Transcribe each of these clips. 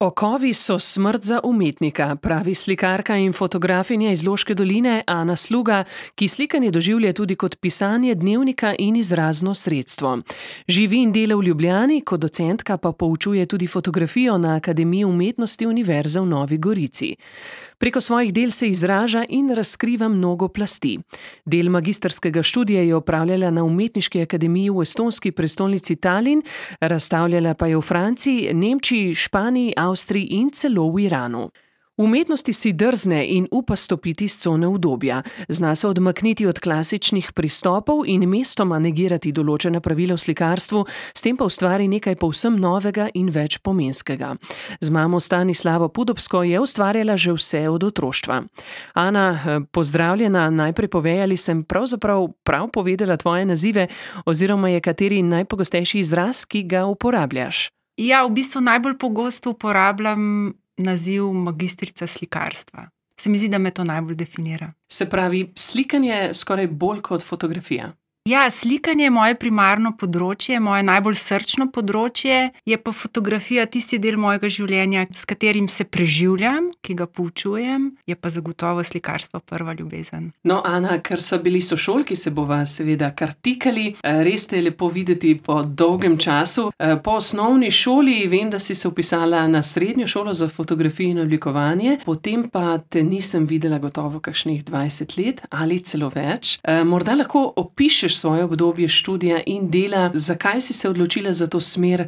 Okovi so smrt za umetnika, pravi slikarka in fotografinja iz Loške doline Ana Sluga, ki slikanje doživlja tudi kot pisanje dnevnika in izrazno sredstvo. Živi in dela v Ljubljani, kot docentka pa poučuje tudi fotografijo na Akademiji umetnosti Univerze v Novi Gorici. Preko svojih del se izraža in razkriva mnogo plasti. Del magistrskega študija je opravljala na Umetniški akademiji v estonski prestolnici Tallinn, razstavljala pa je v Franciji, Nemčiji, Španiji, Avstriji in celo v Iranu. V umetnosti si drzne in upa stopiti s cone udobja. Zna se odmakniti od klasičnih pristopov in mestoma negirati določena pravila v slikarstvu, s tem pa ustvari nekaj povsem novega in več pomenskega. Z mamo Stanislavo Pudobsko je ustvarjala že vse od otroštva. Ana, pozdravljena, najprej povej, ali sem pravzaprav prav povedala tvoje nazive oziroma je kateri najpogostejši izraz, ki ga uporabljaš? Ja, v bistvu najbolj pogosto uporabljam naziv magistrica slikarstva. Se mi zdi, da me to najbolj definira. Se pravi, slikanje skoraj bolj kot fotografija. Ja, slikanje je moje primarno področje, moje najbolj srčno področje, je pa fotografija tisti del mojega življenja, s katerim se preživljam, ki ga poučujem, je pa zagotovo slikarstvo prva ljubezen. No, Ana, ker so bili sošolki, se bova seveda kar tikali, res te je lepo videti po dolgem času. Po osnovni šoli vem, da si se vpisala na srednjo šolo za fotografijo in oblikovanje, potem pa te nisem videla gotovo kakšnih 20 let ali celo več. Morda lahko opišeš svoje obdobje študija in dela, zakaj si se odločila za to smer,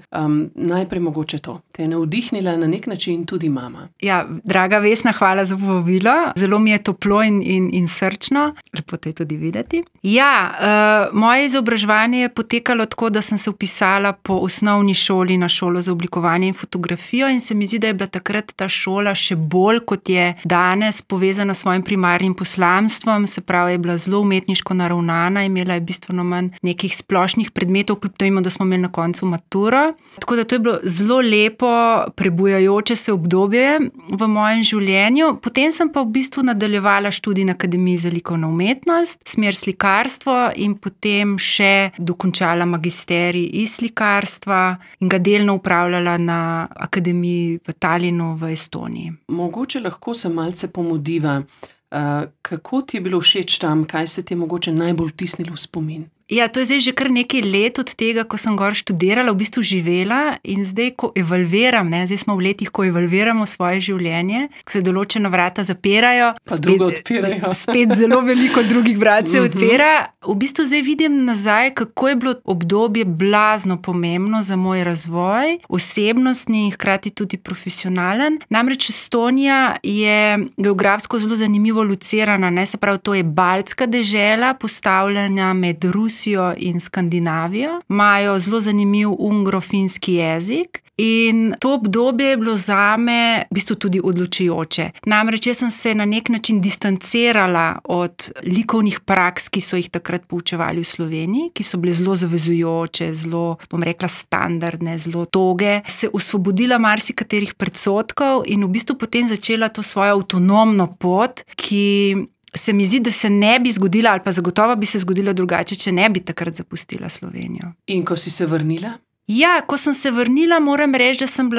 najprej mogoče to. Te je navdihnila na nek način tudi mama. Ja, draga Vesna, hvala za povabilo. Zelo mi je toplo in srčno. Lepo te tudi videti. Ja, moje izobraževanje je potekalo tako, da sem se vpisala po osnovni šoli na šolo za oblikovanje in fotografijo in se mi zdi, da je bila takrat ta šola še bolj, kot je danes, povezana s svojim primarnim poslanstvom, se pravi, je bila zelo umetniško naravnana, imela je bistveno manj nekih splošnih predmetov, kljub temu, da smo imeli na koncu maturo. Tako da to je bilo zelo lepo, prebujajoče se obdobje v mojem življenju. Potem sem pa v bistvu nadaljevala študij na Akademiji za likovno umetnost, smer slikarstvo in potem še dokončala magisterij iz slikarstva in ga delno upravljala na Akademiji v Tallinnu v Estoniji. Mogoče lahko se malce pomudiva. Kako ti je bilo všeč tam, kaj se ti je mogoče najbolj vtisnilo v spomin? Ja, to je zdaj že kar nekaj let od tega, ko sem gor študirala, v bistvu živela in zdaj, ko evalviram, zdaj smo v letih, ko evalviramo svoje življenje, ko se določena vrata zapirajo, pa drugo odpirajo. Spet zelo veliko drugih vrat se odpira. V bistvu zdaj vidim nazaj, kako je bilo obdobje blazno pomembno za moj razvoj, osebnostni in hkrati tudi profesionalen. Namreč Estonija je geografsko zelo zanimivo locirana, se pravi, to je baltska dežela, postavljena med Rusijo in Skandinavijo, imajo zelo zanimiv ungro-finski jezik in to obdobje je bilo zame v bistvu tudi odločujoče. Namreč jaz sem se na nek način distancirala od likovnih praks, ki so jih takrat poučevali v Sloveniji, ki so bile zelo zavezujoče, zelo, bom rekla, standardne, zelo toge, se osvobodila marsikaterih predsodkov in v bistvu potem začela to svojo avtonomno pot, ki se mi zdi, da se ne bi zgodila ali pa zagotovo bi se zgodila drugače, če ne bi takrat zapustila Slovenijo. In ko si se vrnila? Ja, ko sem se vrnila, moram reči, da sem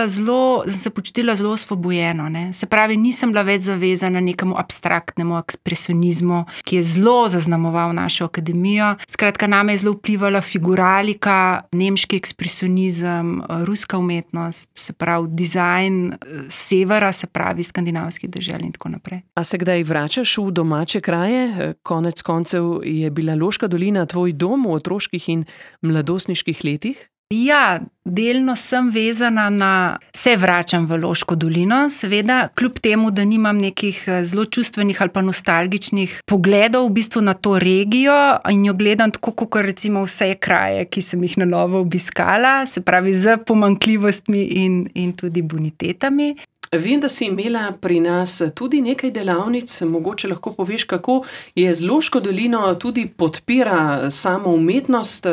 se počutila zelo osvobojeno. Se pravi, nisem bila več zavezana nekemu abstraktnemu ekspresionizmu, ki je zelo zaznamoval našo akademijo. Skratka, name je zelo vplivala figuralika, nemški ekspresionizem, ruska umetnost, se pravi, dizajn severa, se pravi, skandinavskih dežel in tako naprej. A se kdaj vračaš v domače kraje? Konec koncev je bila Loška dolina tvoj dom v otroških in mladostniških letih? Ja, delno sem vezana se vračam v Loško dolino, seveda, kljub temu, da nimam nekih zelo čustvenih ali pa nostalgičnih pogledov v bistvu na to regijo in jo gledam tako, kot recimo vse kraje, ki sem jih na novo obiskala, se pravi z pomanjkljivostmi in tudi bonitetami. Vem, da si imela pri nas tudi nekaj delavnic, mogoče lahko poveš, kako je z Loško dolino tudi podpira samo umetnost,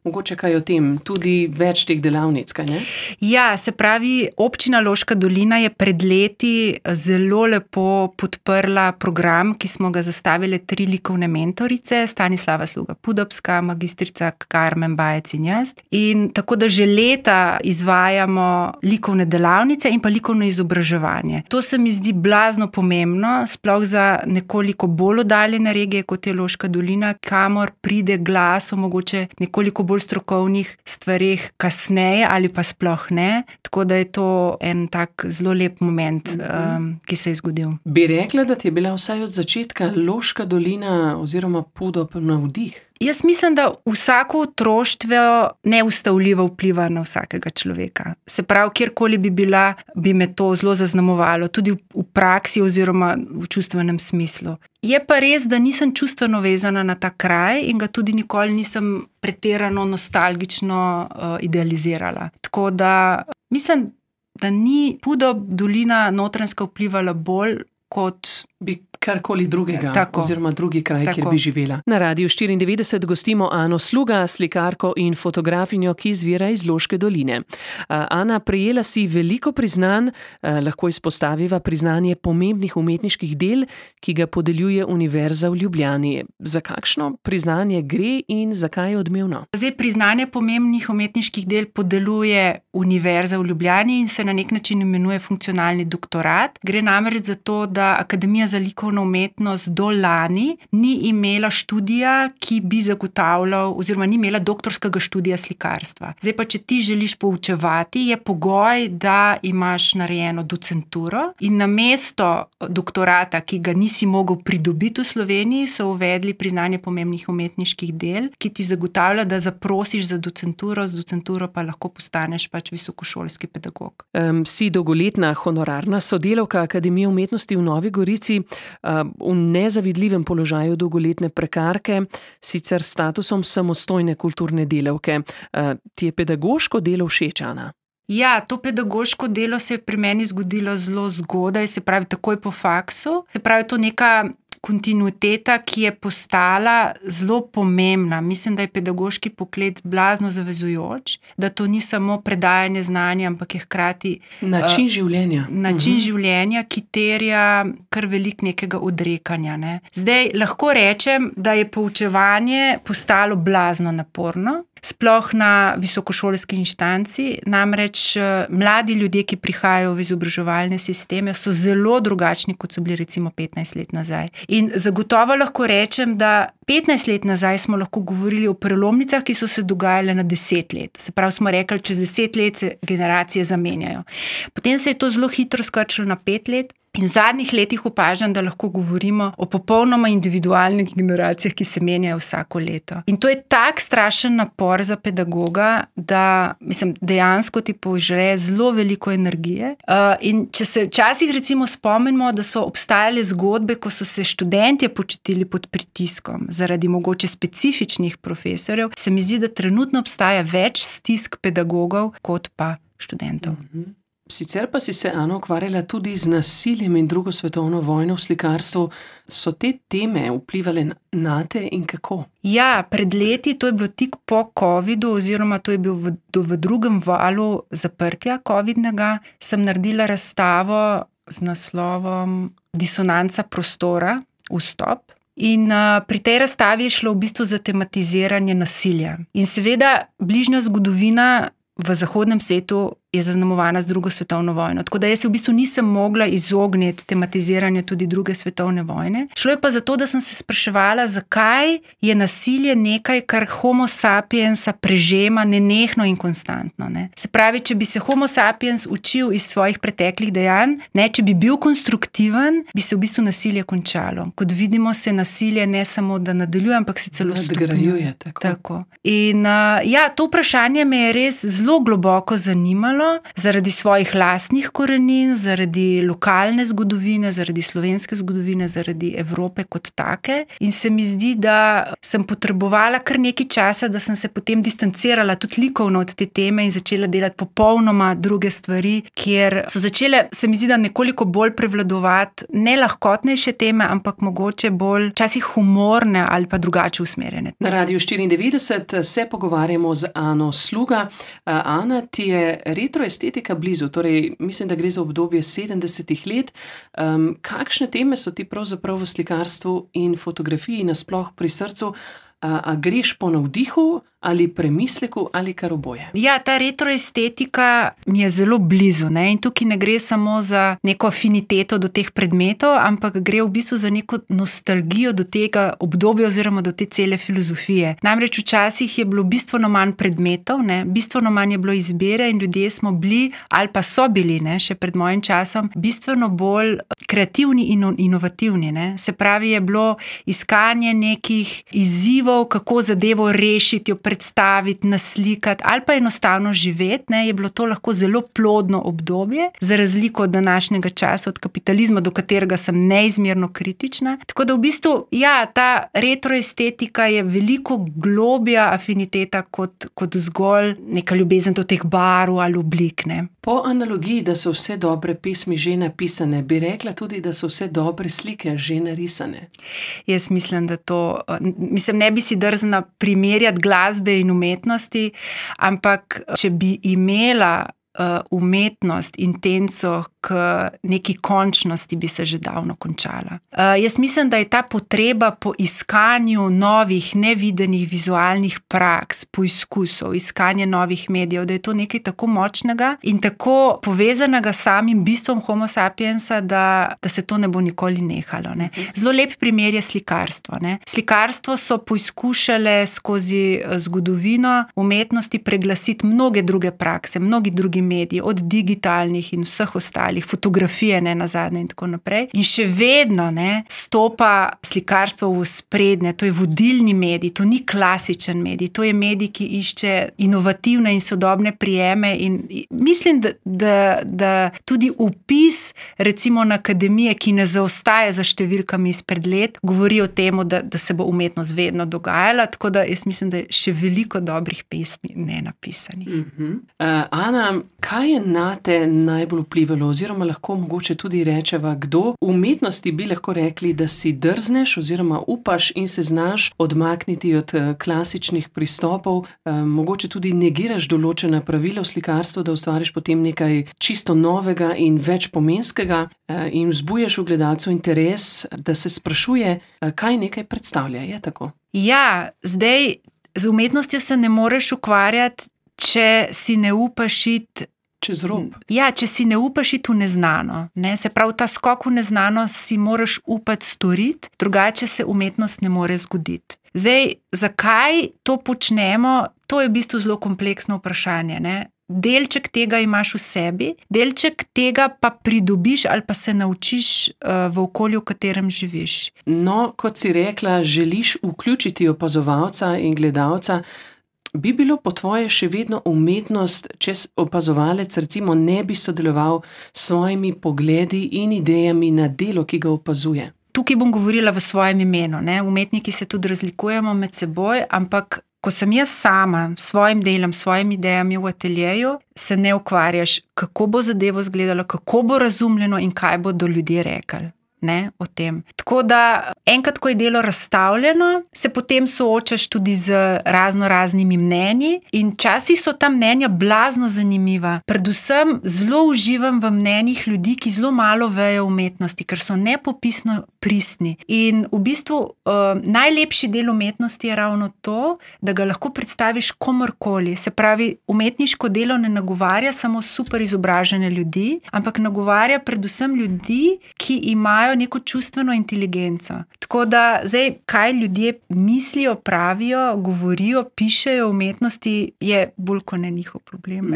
Mogoče kaj o tem, tudi več teh delavnic, kaj ne? Ja, se pravi, občina Loška dolina je pred leti zelo lepo podprla program, ki smo ga zastavile 3 likovne mentorice, Stanislava Sluga Pudobska, magistrica Karmen Bajec in jaz. In tako da že leta izvajamo likovne delavnice in pa likovno izobraževanje. To se mi zdi blazno pomembno, sploh za nekoliko bolj oddaljene regije, kot je Loška dolina, kamor pride glas o mogoče nekoliko bolj strokovnih stvareh kasneje ali pa sploh ne. Tako da je to en tak zelo lep moment, ki se je zgodil. Bi rekla, da ti je bila vsaj od začetka Loška dolina oziroma Pudob navdih? Jaz mislim, da vsako otroštvo neustavljivo vpliva na vsakega človeka. Se pravi, kjerkoli bi bila, bi me to zelo zaznamovalo, tudi v praksi oziroma v čustvenem smislu. Je pa res, da nisem čustveno vezana na ta kraj in ga tudi nikoli nisem pretirano nostalgično idealizirala. Tako da mislim, da ni Pudob dolina Notranjska vplivala bolj kot bi karkoli drugega, tako, oziroma drugi kraj, tako, kjer bi živela. Na Radiu 94 gostimo Ano Sluga, slikarko in fotografinjo, ki izvira iz Loške doline. Ana, prejela si veliko priznanj, lahko izpostaviva priznanje pomembnih umetniških del, ki ga podeljuje Univerza v Ljubljani. Za kakšno priznanje gre in zakaj je odmevno? Zdaj, priznanje pomembnih umetniških del podeljuje Univerza v Ljubljani in se na nek način imenuje funkcionalni doktorat. Gre namreč za to, da Akademija za likovno umetnost do lani ni imela študija, ki bi zagotavljal, oziroma ni imela doktorskega študija slikarstva. Zdaj pa, če ti želiš poučevati, je pogoj, da imaš narejeno docenturo in namesto doktorata, ki ga nisi mogel pridobiti v Sloveniji, so uvedli priznanje pomembnih umetniških del, ki ti zagotavlja, da zaprosiš za docenturo, z docenturo pa lahko postaneš pač visokošolski pedagog. Si dolgoletna honorarna sodelavka Akademije umetnosti v Novi Gorici, v nezavidljivem položaju dolgoletne prekarke, sicer s statusom samostojne kulturne delavke. Ti je pedagoško delo všeč, Ana? Ja, to pedagoško delo se je pri meni zgodilo zelo zgodaj, se pravi takoj po faksu. Se pravi, to neka kontinuiteta, ki je postala zelo pomembna. Mislim, da je pedagoški poklic blazno zavezujoč, da to ni samo predajanje znanja, ampak je hkrati način življenja. Način življenja, ki terja kar veliko nekega odrekanja. Ne. Zdaj, lahko rečem, da je poučevanje postalo blazno naporno, sploh na visokošolski inštanci, namreč mladi ljudje, ki prihajajo v izobraževalne sisteme, so zelo drugačni, kot so bili recimo 15 let nazaj. In zagotovo lahko rečem, da 15 let nazaj smo lahko govorili o prelomnicah, ki so se dogajale na 10 let. Se pravi, smo rekli, čez 10 let se generacije zamenjajo. Potem se je to zelo hitro skrčilo na 5 let. In v zadnjih letih opažam, da lahko govorimo o popolnoma individualnih generacijah, ki se menjajo vsako leto. In to je tak strašen napor za pedagoga, da mislim, dejansko ti požre zelo veliko energije. In če se včasih recimo spomnimo, da so obstajale zgodbe, ko so se študentje počutili pod pritiskom zaradi mogoče specifičnih profesorjev, se mi zdi, da trenutno obstaja več stisk pedagogov kot pa študentov. Sicer pa si se, Ana, ukvarjala tudi z nasiljem in drugo svetovno vojno v slikarstvu. So te teme vplivale na te in kako? Ja, pred leti, to je bilo tik po covidu, oziroma to je bil v drugem valu zaprtja covidnega, sem naredila razstavo z naslovom Disonanca prostora, vstop. In pri tej razstavi je šlo v bistvu za tematiziranje nasilja. In seveda bližnja zgodovina v zahodnem svetu je zaznamovana z drugo svetovno vojno. Tako da jaz se v bistvu nisem mogla izogniti tematiziranju tudi druge svetovne vojne. Šlo je pa zato, da sem se spraševala, zakaj je nasilje nekaj, kar homo sapiensa prežema nenehno in konstantno. Ne? Se pravi, če bi se homo sapiens učil iz svojih preteklih dejanj, ne, če bi bil konstruktiven, bi se v bistvu nasilje končalo. Kot vidimo, se nasilje ne samo da nadaljuje, ampak se celo stopnjuje. Tako. In ja, to vprašanje me je res zelo globoko zanimalo. zanimalo zaradi svojih lastnih korenin, zaradi lokalne zgodovine, zaradi slovenske zgodovine, zaradi Evrope kot take. In se mi zdi, da sem potrebovala kar nekaj časa, da sem se potem distancirala tudi likovno od te teme in začela delati popolnoma druge stvari, kjer so začele, se mi zdi, da nekoliko bolj prevladovati ne lahkotnejše teme, ampak mogoče bolj časih humorne ali pa drugače usmerjene. Na Radiu 94 se pogovarjamo z Ano Sluga. Ana, ti je retroestetika blizu, torej mislim, da gre za obdobje 70 let. Kakšne teme so ti pravzaprav v slikarstvu in fotografiji nasploh pri srcu? A greš po navdihu ali premisleku ali kar oboje? Ja, ta retroestetika mi je zelo blizu, ne? In tukaj ne gre samo za neko afiniteto do teh predmetov, ampak gre v bistvu za neko nostalgijo do tega obdobja oziroma do te cele filozofije. Namreč včasih je bilo bistveno manj predmetov, ne? Bistveno manj je bilo izbire in ljudje smo bili, ali pa so bili, ne? Še pred mojim časom, bistveno bolj kreativni in inovativni, ne? Se pravi, je bilo iskanje nekih izzivov, kako zadevo rešiti, jo predstaviti, naslikati ali pa enostavno živeti, ne, je bilo to lahko zelo plodno obdobje, za razliko od današnjega časa, od kapitalizma, do katerega sem neizmerno kritična. Tako da v bistvu, ja, ta retroestetika je veliko globja afiniteta kot zgolj neka ljubezen do teh barv ali oblik, ne. Po analogiji, da so vse dobre pesmi že napisane, bi rekla tudi, da so vse dobre slike že narisane. Jaz mislim, da to, ne bi si drznila primerjati glasbe in umetnosti, ampak če bi imela umetnost, intenco k neki končnosti, bi se že davno končala. Jaz mislim, da je ta potreba po iskanju novih, nevidenih vizualnih praks, poizkusov, iskanje novih medijev, da je to nekaj tako močnega in tako povezanega s samim bistvom Homo sapiensa, da se to ne bo nikoli nehalo, ne. Zelo lep primer je slikarstvo, ne. Slikarstvo so poizkušale skozi zgodovino umetnosti preglasiti mnoge druge prakse, mnogi drugi mediji, od digitalnih in vseh ostalih, fotografije, ne, nazadnje in tako naprej. In še vedno, ne, stopa slikarstvo v sprednje, to je vodilni medij, to ni klasičen medij, to je medij, ki išče inovativne in sodobne prijeme in mislim, da tudi vpis recimo na akademije, ki ne zaostaja za številkami izpred let, govori o tem, da se bo umetnost vedno dogajala, tako da jaz mislim, da je še veliko dobrih pesmi nenapisanih. Ana, kaj je nate najbolj vplivalo, oziroma lahko mogoče tudi rečeva, kdo v umetnosti bi lahko rekli, da si drzneš oziroma upaš in se znaš odmakniti od klasičnih pristopov, mogoče tudi negiraš določena pravila v slikarstvu, da ustvariš potem nekaj čisto novega in večpomenskega in vzbujaš v gledalcu interes, da se sprašuje, kaj nekaj predstavlja, je tako? Ja, zdaj z umetnostjo se ne moreš ukvarjati, če si ne upaš iti čez rob. Ja, če si ne upaš iti v neznano, ne? Se pravi, ta skok v neznano si moraš upati storiti, drugače se umetnost ne more zgoditi. Zdaj, zakaj to počnemo, to je v bistvu zelo kompleksno vprašanje, ne? Delček tega imaš v sebi, delček tega pa pridobiš ali pa se naučiš v okolju, v katerem živiš. No, kot si rekla, želiš vključiti opazovalca in gledalca. Bi bilo po tvoje še vedno umetnost, če opazovalec recimo ne bi sodeloval s svojimi pogledi in idejami na delo, ki ga opazuje? Tukaj bom govorila v svojem imenu, ne? Umetniki se tudi razlikujemo med seboj, ampak ko sem jaz sama s svojim delom, s svojimi idejami v ateljeju, se ne ukvarjaš, kako bo zadevo izgledalo, kako bo razumljeno in kaj bodo ljudje rekli. Ne, o tem. Tako da enkrat, ko je delo razstavljeno, se potem soočaš tudi z raznimi mnenji in včasih so ta mnenja blazno zanimiva. Predvsem zelo uživam v mnenjih ljudi, ki zelo malo vejo umetnosti, ker so nepopisno pristni. In v bistvu najlepši del umetnosti je ravno to, da ga lahko predstaviš komorkoli. Se pravi, umetniško delo ne nagovarja samo super izobražene ljudi, ampak nagovarja predvsem ljudi, ki imajo neko čustveno inteligenco. Tako da zdaj, kaj ljudje mislijo, pravijo, govorijo, pišejo o umetnosti, je bolj kot ne njihov problem.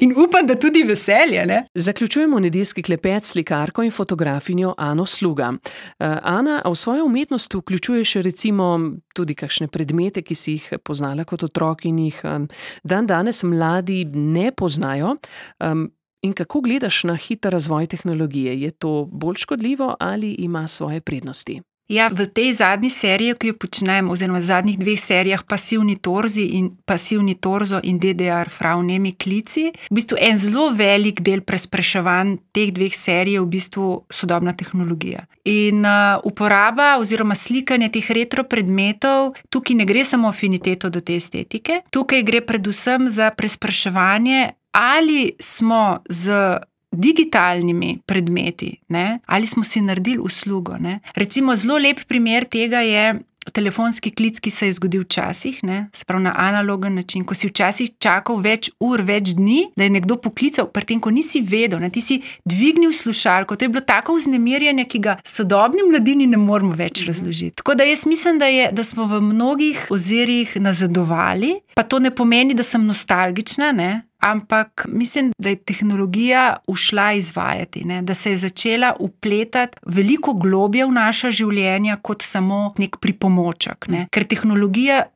In upam, da tudi veselje, ne? Zaključujemo nedeljski klepet s slikarko in fotografinjo Ano Sluga. Sluga. Ana, a v svojo umetnost vključuješ recimo tudi kakšne predmete, ki si jih poznala kot otrok in jih danes mladi ne poznajo? In kako gledaš na hiter razvoj tehnologije? Je to bolj škodljivo ali ima svoje prednosti? Ja, v tej zadnji seriji, ki jo počnem, oziroma v zadnjih 2 serijah Pasivni torzo in DDR Frau-Nemi klici, v bistvu en zelo velik del prespraševanj teh 2 serij je v bistvu sodobna tehnologija. In uporaba oziroma slikanje teh retro predmetov, tukaj ne gre samo afiniteto do te estetike, tukaj gre predvsem za prespraševanje, ali smo z digitalnimi predmeti, ne? Ali smo si naredili uslugo. Ne? Recimo zelo lep primer tega je telefonski klic, ki se je zgodil včasih, ne? Se pravi na analogen način, ko si včasih čakal več ur, več dni, da je nekdo poklical, pri tem, ko nisi vedel, ne? Ti si dvignil slušalko, to je bilo tako vznemirjanje, ki ga sodobni mladini ne moremo več razložiti. Tako da jaz mislim, da smo v mnogih ozirih nazadovali, pa to ne pomeni, da sem nostalgična, ne? Ampak mislim, da je tehnologija ušla izvajati, ne? Da se je začela vpletati veliko globje v naša življenja kot samo nek pripomoček. Ne? Ker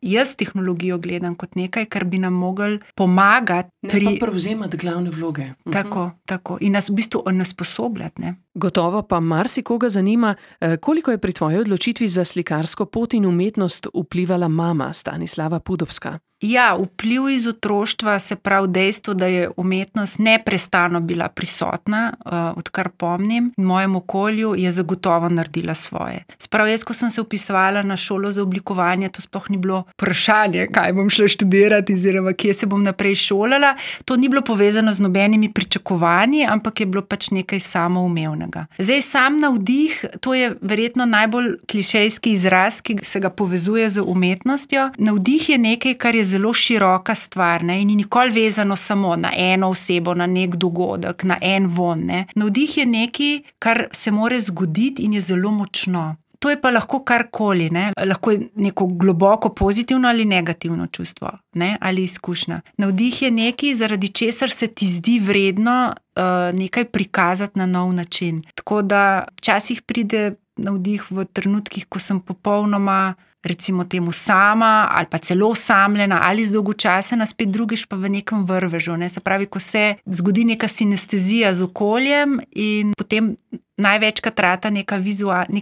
jaz tehnologijo gledam kot nekaj, kar bi nam mogli pomagati. Ne pa prevzemati glavne vloge. Tako. In nas v bistvu onesposobljati. Ne? Gotovo pa marsikoga zanima, koliko je pri tvoji odločitvi za slikarsko pot in umetnost vplivala mama Stanislava Pudovska. Ja, vpliv iz otroštva, se pravi dejstvo, da je umetnost neprestano bila prisotna, odkar pomnim, in v mojem okolju je zagotovo naredila svoje. Sprav jaz, ko sem se vpisovala na šolo za oblikovanje, to sploh ni bilo vprašanje, kaj bom šla študirati oziroma kje se bom naprej šolala. To ni bilo povezano z nobenimi pričakovanji, ampak je bilo pač nekaj samoumevnega. Zdaj sam navdih, to je verjetno najbolj klišejski izraz, ki se ga povezuje z umetnostjo. Navdih je nekaj, kar je zelo široka stvar, ne? In ni nikoli vezano samo na eno osebo, na nek dogodek, na en von. Ne? Navdih je nekaj, kar se more zgoditi in je zelo močno. To je pa lahko karkoli, ne? Lahko je neko globoko pozitivno ali negativno čustvo, ne? Ali izkušnja. Navdih je nekaj, zaradi česar se ti zdi vredno nekaj prikazati na nov način. Tako da včasih pride navdih v trenutkih, ko sem popolnoma recimo temu sama ali pa celo osamljena ali zdolgočasena, spet drugič pa v nekem vrvežu. Ne? Se pravi, ko se zgodi neka sinestezija z okoljem in potem največkrat rata nek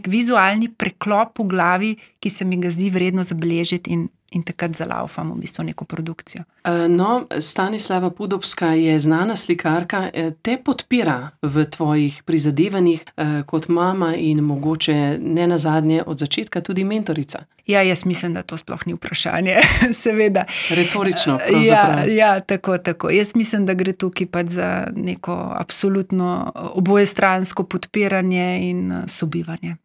vizualni preklop v glavi, ki se mi ga zdi vredno zabeležiti in takrat zalaufam v bistvu neko produkcijo. No, Stanislava Pudovska je znana slikarka, te podpira v tvojih prizadevanjih kot mama in mogoče ne nazadnje od začetka tudi mentorica. Ja, jaz mislim, da to sploh ni vprašanje, seveda. Retorično, pravzaprav. Ja, tako. Jaz mislim, da gre tukaj pač za neko absolutno obojestransko podpiranje in sobivanje.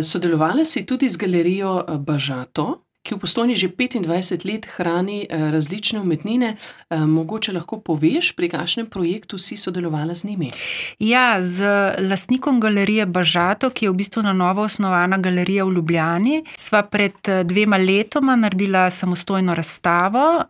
Sodelovala si tudi z galerijo Bažato, ki v Postojni že 25 let hrani različne umetnine. Mogoče lahko poveš, pri kakšnem projektu si sodelovala z njimi? Ja, z lastnikom galerije Bažato, ki je v bistvu na novo osnovana galerija v Ljubljani, sva pred 2 letoma naredila samostojno razstavo.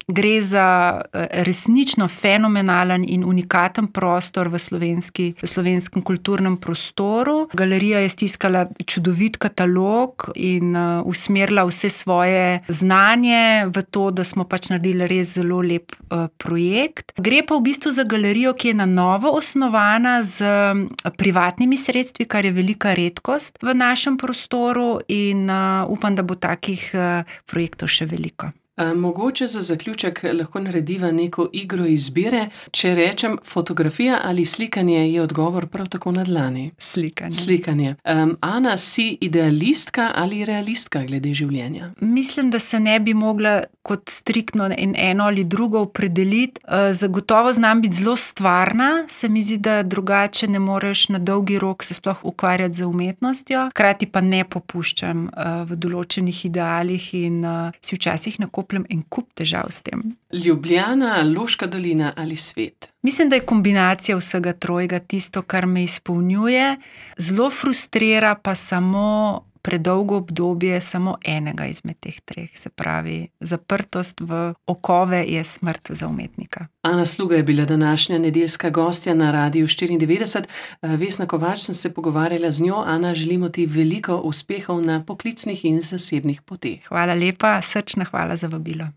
Gre za resnično fenomenalen in unikaten prostor v slovenskem kulturnem prostoru. Galerija je stiskala čudovit katalog in usmerila vse svoje znanje v to, da smo pač naredili res zelo lep projekt. Gre pa v bistvu za galerijo, ki je na novo osnovana z privatnimi sredstvi, kar je velika redkost v našem prostoru in upam, da bo takih projektov še veliko. Mogoče za zaključek lahko narediva neko igro izbire. Če rečem fotografija ali slikanje, je odgovor prav tako na dlani. Slikanje. Ana, si idealistka ali realistka glede življenja? Mislim, da se ne bi mogla kot striktno eno ali drugo opredeliti. Zagotovo znam biti zelo stvarna, se mi zdi, da drugače ne moreš na dolgi rok se sploh ukvarjati z umetnostjo. Hkrati pa ne popuščam v določenih idealih in si včasih nakopljem en kup težav s tem. Ljubljana, Loška dolina ali svet? Mislim, da je kombinacija vsega trojega tisto, kar me izpolnjuje. Zelo frustrira pa samo predolgo obdobje samo enega izmed teh treh. Se pravi, zaprtost v okove je smrt za umetnika. Ana Sluga je bila današnja nedeljska gostja na Radiu 94. Vesna Kovač sem se pogovarjala z njo. Ana, želimo ti veliko uspehov na poklicnih in zasebnih poteh. Hvala lepa, srčna hvala za vabilo.